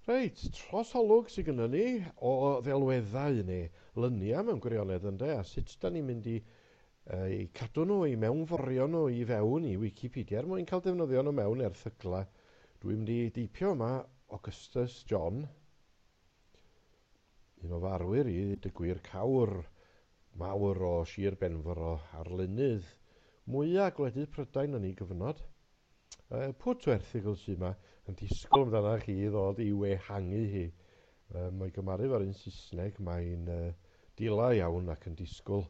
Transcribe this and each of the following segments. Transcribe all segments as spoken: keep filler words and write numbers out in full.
Reit, trosolwg sydd gynnon ni o ddelweddau neu luniau mewn gwirionedd ynde, a sut da ni'n mynd i uh, i cadw nhw, i mewnforio nhw i fewn i Wikipedia er mwyn cael defnyddio nhw mewn erthyglau. Dwi'n mynd i deipio yma Augustus John, un o farwyr i ddweud y gwir, cawr mawr o Sir Benfro, arlunydd mwyaf gwledydd Prydain yn ei gyfnod. Uh, pwt o erthygl sydd yma yn disgwyl amdana chi i ddod i'w ehangu hi. Uh, mae gymaru efo'r un Saesneg, mae'n uh, dila iawn ac yn disgwyl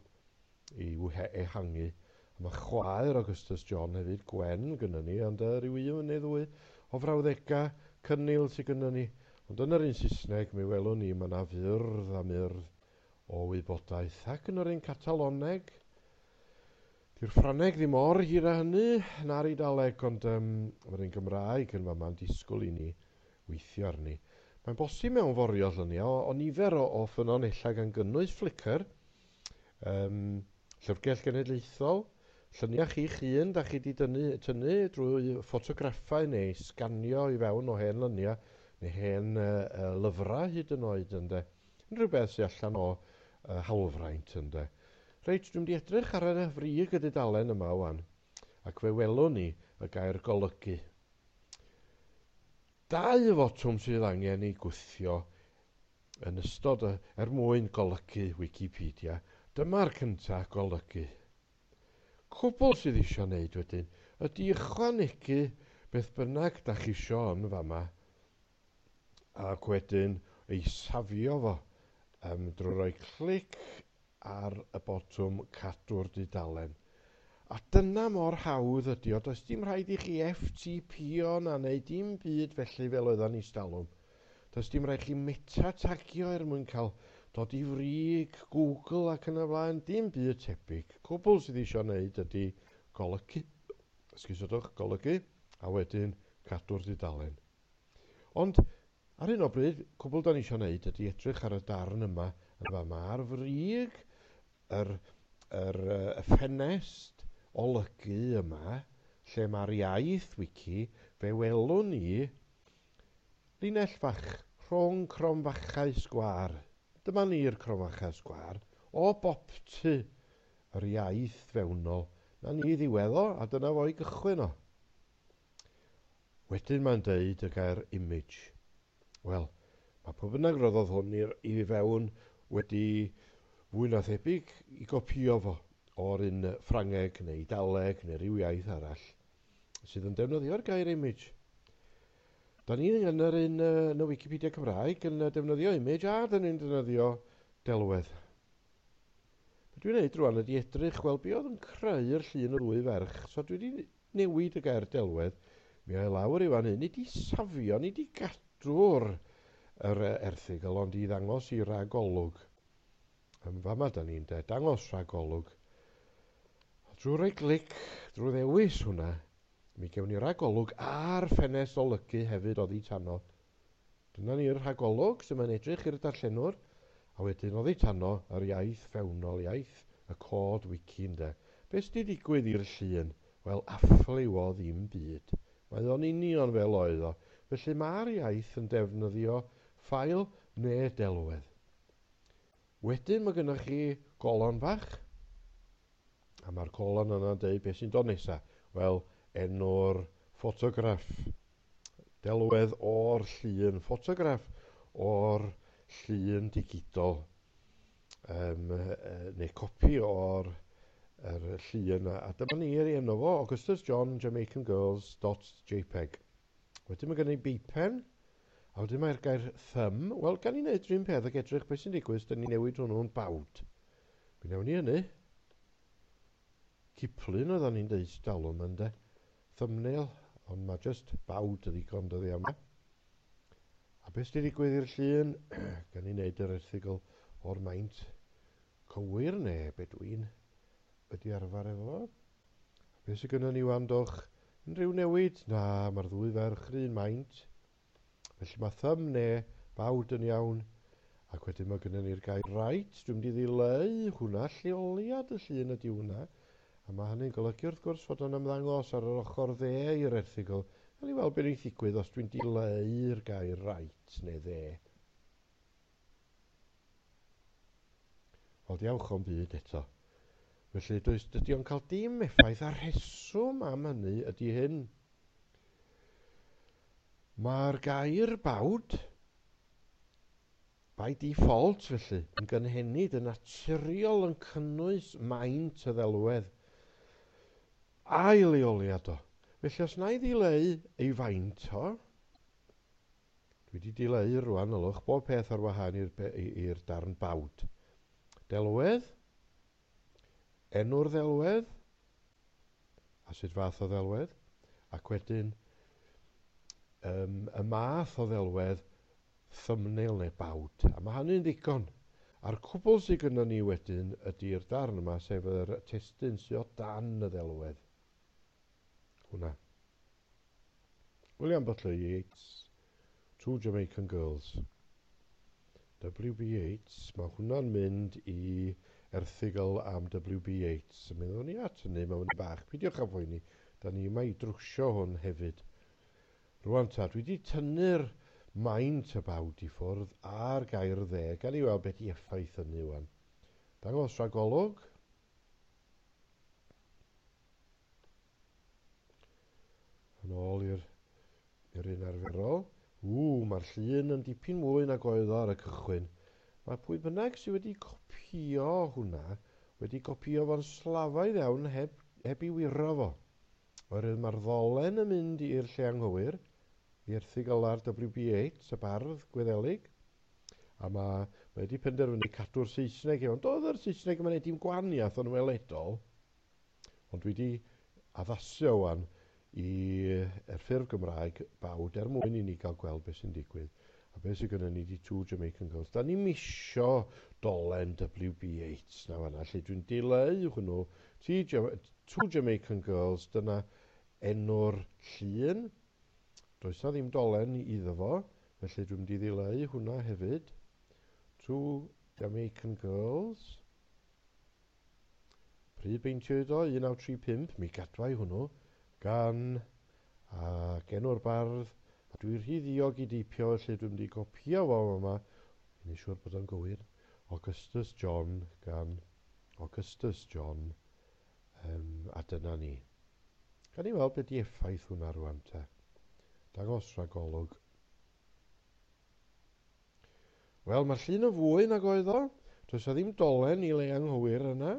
i'w ehangu. A mae chwaer Augustus John hefyd, Gwen, gynnon ni, ond uh, rhyw un neu ddwy o frawddegau cynnil sydd gynnon ni. Ond yn yr un Saesneg, mi welwn ni, mae yna fyrdd a myrdd o wybodaeth. Ac yn yr un Cataloneg, di'r Ffrangeg ddim mor hir â hynny na'r Eidaleg, ond um, mae'r un Gymraeg yn fama'n disgwyl i ni weithio arni. Mae'n bosib mewnforio lluniau o, o nifer o, o ffynonellau gan gynnwys Flickr, um, Llyfrgell Genedlaethol, lluniau chi'ch hun da chi wedi dynnu, tynnu drwy ffotograffau neu sganio i fewn o hen luniau neu hen uh, uh, lyfrau hyd yn oed ynde. Unrhyw beth sy'n allan o uh, hawlfraint ynde. Reit, dwi'n mynd i edrych ar y frig y dudalen yma wan, ac fe welwn ni y gair golygu. Dau fotwm sydd angen ei gwthio yn ystod y, er mwyn golygu Wikipedia. Dyma'r cyntaf, golygu. Cwbl sydd eisiau wneud wedyn ydy ychwanegu beth bynnag da chi isio yn fama, ac wedyn ei safio fo um, drwy roi clic ar y botwm cadw'r dudalen. A dyna mor hawdd ydy o. Does dim rhaid i chi F T P-o na neu dim byd felly fel oeddan ni stalwm. Does dim rhaid chi meta-tagio er mwyn cael dod i frig Google ac yn y blaen. Dim byd tebyg. Cwbl sydd eisiau wneud ydy golygu, esgusodwch, golygu, a wedyn cadw'r dudalen. Ond ar hyn o bryd, cwbl da ni eisiau wneud ydy edrych ar y darn yma yn fama ar frig yr, yr, y ffenest olygu yma, lle mae'r iaith wiki, fe welwn ni linell fach rhwng cromfachau sgwâr. Dyma ni'r cromfachau sgwâr o boptu yr iaith fewnol. Na ni ddiwedd o, a dyna fo i gychwyn o. Wedyn mae'n deud y gair image. Wel, mae pwy bynnag roddodd hwn i'r, i fewn wedi fwy na thebyg i gopio fo o'r un Ffrangeg neu Eidaleg neu ryw iaith arall sydd yn defnyddio'r gair image. Da ni yn yr un yn y Wikipedia Cymraeg yn defnyddio image a da ni'n defnyddio delwedd. Be dwi'n neud rwan ydy edrych, wel, be oedd yn creu'r llun y ddwy ferch. So dwi wedi newid y gair delwedd. Mi a'i lawr i fan hyn, ni wedi safio, ni wedi gadw'r yr erthygl, ond i ddangos i ragolwg. Yn fama da ni'n de, dangos rhagolwg. Drwy roi glic, drwy ddewis hwnna, mi gewn ni ragolwg a'r ffenest olygu hefyd oddi tano. Dyna ni'r rhagolwg sy'n mae'n edrych i'r darllenwr, a wedyn oddi tano yr iaith fewnol, iaith y cod wiki ynde. Be sy 'di digwydd i'r llun? Wel, affliw o ddim byd. Mae o'n union fel oedd o. Felly mae'r iaith yn defnyddio ffael neu delwedd. Wedyn mae gennych chi golon fach, a mae'r colon yna'n deud beth sy'n dod nesaf. Wel, enw'r ffotograff, delwedd o'r llun, ffotograff o'r llun digidol, um, neu copi o'r er llun. A dyma ni ei enw fo, Augustus John Jamaican Girls dot jpeg. Wedyn mae gen i beipen, a wedyn mae'r gair thumb. Wel, gan i wneud rhywun peth ac edrych beth sy'n digwydd, dyn ni newid hwnnw'n bawd. Mi wnawn ni hynny. Ciplun oedden ni'n deud dalwm ynde. Thumbnail, ond mae just bawd y ddigon dyddi yma. A beth sy'n digwydd i'r llun? Gan i wneud yr erthygl o'r maint cywir neu be dwi'n wedi arfer efo. A beth sydd gynnon ni wan, dwch? Unrhyw newid? Na, mae'r ddwy ferch yr un maint. Felly mae thumb neu bawd yn iawn. Ac wedyn mae gynnon ni'r gair right. Dwi'n mynd i ddileu hwnna, lleoliad y llun ydy hwnna. A mae hynny'n golygu wrth gwrs fod o'n ymddangos ar yr ochr dde i'r erthygl Gawn ni weld beth wneith ddigwydd os dwi'n dileu'r gair right neu dde. Wel, diawch o'm byd eto. Felly, does, dydy o'n cael dim effaith, a'r rheswm am hynny ydy hyn. Mae'r gair bawd, by default felly, yn gynhenid, yn naturiol yn cynnwys maint y ddelwedd a'i leoliad o. Felly os na i ddileu ei faint o, dwi wedi dileu rwan, ylwch, bob peth ar wahân i'r darn bawd. Delwedd, enw'r ddelwedd, a sut fath o ddelwedd, ac wedyn um, y math o ddelwedd, thumbnail neu bawd. A mae hynny'n ddigon. A'r cwbl sydd gynnon ni wedyn ydy'r darn yma, sef yr testun sydd o dan y ddelwedd. Hwna. William Butler Yeats, Two Jamaican Girls. W B Yeats, mae hwnna'n mynd i erthygl am W B Yeats. Mi ddown ni at hynny mewn bach. Peidiwch â phoeni, da ni yma i drwsio hwn hefyd. Rwan ta, dwi wedi tynnu'r maint y bawd i ffwrdd a'r gair dde. Gawn ni weld beth i effaith hynny wan. Dangos rhagolwg. Yn ôl i'r i'r un arferol. Ww, mae'r llun yn dipyn mwy nag oedd o ar y cychwyn. Mae pwy bynnag sydd wedi copïo hwnna, wedi copïo fo'n slafaidd iawn heb, heb i wiro fo. Oherwydd mae'r ddolen yn mynd i'r lle anghywir, i erthygl ar W B Yeats, y bardd Gwyddelig, a mae, mae wedi penderfynu cadw'r Saesneg iawn. Doedd yr Saesneg yma'n neud dim gwahaniaeth o'n weledol, ond dwi wedi addasu o wan i'r ffurf Gymraeg bawd er mwyn i ni gael gweld beth sy'n digwydd. A beth sydd gynnon ni di Two Jamaican Girls. Da ni'm isio dolen W B Yeats na fanna, lle dwi'n dileu hwnnw. Two Jamaican Girls, dyna enw'r llun. Does na ddim dolen iddo fo, felly dwi'n mynd i ddileu hwnna hefyd. Two Jamaican Girls. Pryd beintiwyd o, un naw tri pump, mi gadwai hwnnw, gan ac enw'r bardd. A dwi rhy ddiog i deipio, felly dwi'n mynd i gopio fo yma, i wneud siŵr bod o'n gywir. Augustus John, gan Augustus John, um, a dyna ni. Gawn ni weld beth di effaith hwnna rwan te. Dangos rhagolwg. Wel, mae'r llun yn fwy nag oedd o. Does na ddim dolen i le anghywir yna.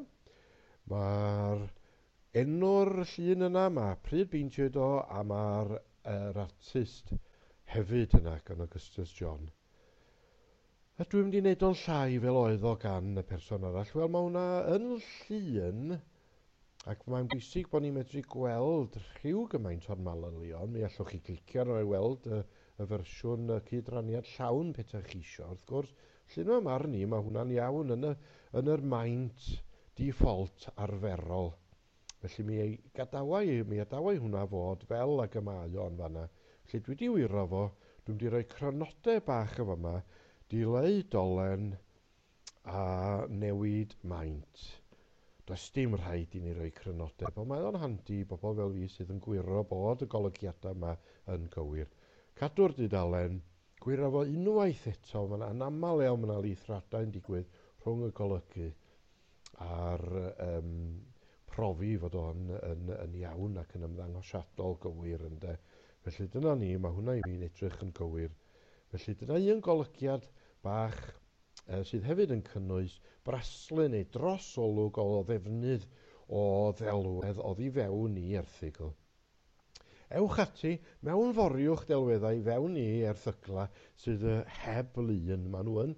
Mae'r enw'r llun yna, mae pryd beintiwyd o, a mae'r yr artist hefyd yna gan Augustus John. A dwi'n mynd i wneud o'n llai fel oedd o gan y person arall. Wel, mae hwnna yn llun, ac mae'n bwysig bod ni'n medru gweld rhyw gymaint o'r manylion. Mi allwch chi clicio arno i weld y, y fersiwn y cydraniad llawn petaech chi isio. Wrth gwrs, llun yma marn i, mae hwnna'n iawn yn y, yn yr maint default arferol. Felly mi gadawai, mi adawai hwnna fod fel ag y mae o'n fanna. Felly dwi wedi wiro fo, dwi'n mynd i roi crynodeb bach o fama, dileu dolen a newid maint. Does dim rhaid i ni roi crynodeb, ond mae o'n handi i bobl fel fi sydd yn gwiro bod y golygiadau yma yn gywir. Cadw'r dudalen, gwiro fo unwaith eto, mae'n anaml iawn, mae 'na lithradau yn digwydd rhwng y golygu a'r um, profi fod o'n yn, yn iawn ac yn ymddangosiadol gywir ynde. Felly dyna ni, mae hwnna i fi'n edrych yn gywir. Felly dyna un golygiad bach uh, sydd hefyd yn cynnwys braslun neu drosolwg o ddefnydd o ddelwedd oddi fewn i erthygl. Ewch ati, mewnforiwch delweddau fewn i erthygla sydd heb lun. Maen nhw yn,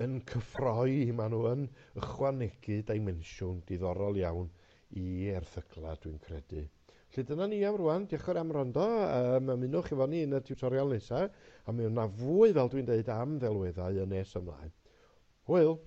yn cyffroi, maen nhw yn ychwanegu dimensiwn diddorol iawn i erthygla, dwi'n credu. Felly dyna ni am rwan, diolch yn fawr am wrando. Um, ymunwch efo ni yn y tutorial nesaf, a mi yna fwy, fel dwi'n deud, am ddelweddau yn nes ymlaen. Hwyl!